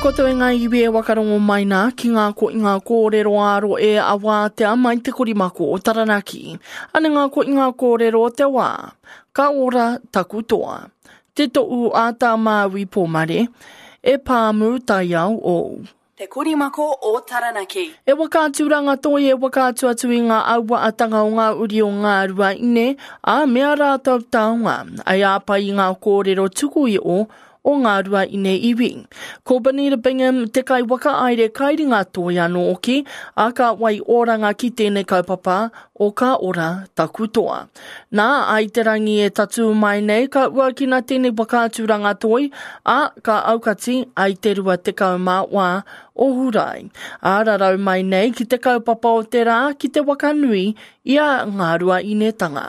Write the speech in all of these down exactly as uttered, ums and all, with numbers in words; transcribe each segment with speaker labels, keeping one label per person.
Speaker 1: koutou e ngā iwi e wakarongo mai nā ki ngā ko i ngā kōrero āro e awātea mai te korimako o Taranaki. Ane ngā ko i ngā kōrero o te wā. Ka ora taku toa. Te to'u a tā Māui Pōmare, e pāmu taiao ou.
Speaker 2: Te Korimako o Taranaki.
Speaker 1: E whakaaturanga toi e whakaatu atu i ngā auaatanga o ngā uri o ngā rua ine, a mea rātou taonga, ai āpai i ngā kōrero tuku i o, o ngā rua ine iwi. Ko Bonita Bingham te kai whakaaere kairinga toi anō oki, a ka wai oranga ki tēnei kaupapa o ka ora taku toa. Nā, ai te rangi e tatū mai nei, ka uakina tēnei whakaaturanga toi, a ka aukati ai te rua tekau mā wā o Hurai. A rarau mai nei ki te kaupapa o te rā ki te wakanui i a ngā rua inetanga.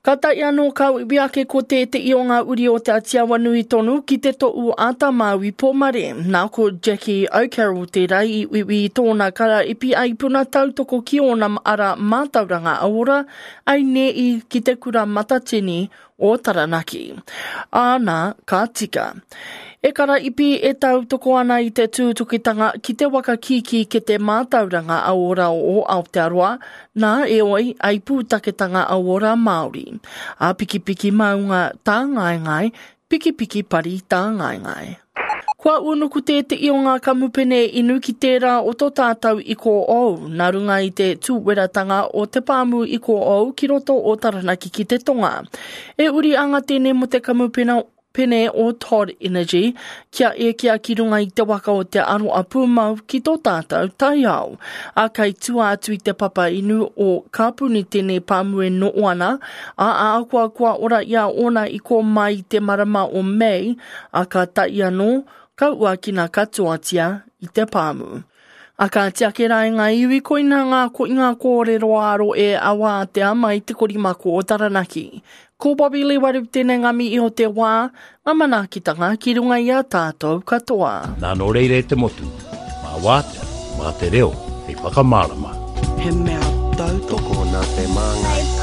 Speaker 1: Ka tae anō ka uiui ake ko tētehi o ngā uri o Te Atiawa nui tonu ki te to'u a Tā Māui Pōmare. Nā ko Jackie O'Carroll tērā i uiui i tōna karaipi ai puna tautoko ki ōna ara mātauranga ora ai ne'i ki te kura matatini o Taranaki. Āna, ka tika. E karaipi e tautoko ana i te tūtukitanga ki te waka kīkī ke te mātauranga auora o Aotearoa, nā eoi ai pūtaketanga auora Māori. A pikipiki maunga tāngaengae, pikipiki pari tāngaengae. Kua unuku tētehi o ngā kamupene inu ki tērā o tō tātou iko ou, nā runga i te tūweratanga o te pāmu iko ou ki roto o Taranaki ki te tonga. E uri anga tēnei mo te kamupene pene o Todd Energy kia ekea ki runga i te waka o te aroa pūmau ki tō tātou taiao. A kei tua atu i te papa inu o Kāpuni tēnei pāmu e no'o ana, a ahakoa kua ora i a ōna i kō mai i te marama o Mei, a ka tae anō, ka uakina katoatia i te pāmu. A ka tiake rā i ngā iwi koina ngā ko i ngā kōrero āro e awātea mai te korimako o Taranaki. Ko Bobby Lewaru tēnei ngā mihi o te wā, ngā manaakitanga ki runga i a tātou katoa.
Speaker 3: Nā nō reira e te motu, mā wātea, mā te reo hei whakamārama.
Speaker 4: He mea tautoko.
Speaker 5: Tokona te māngai.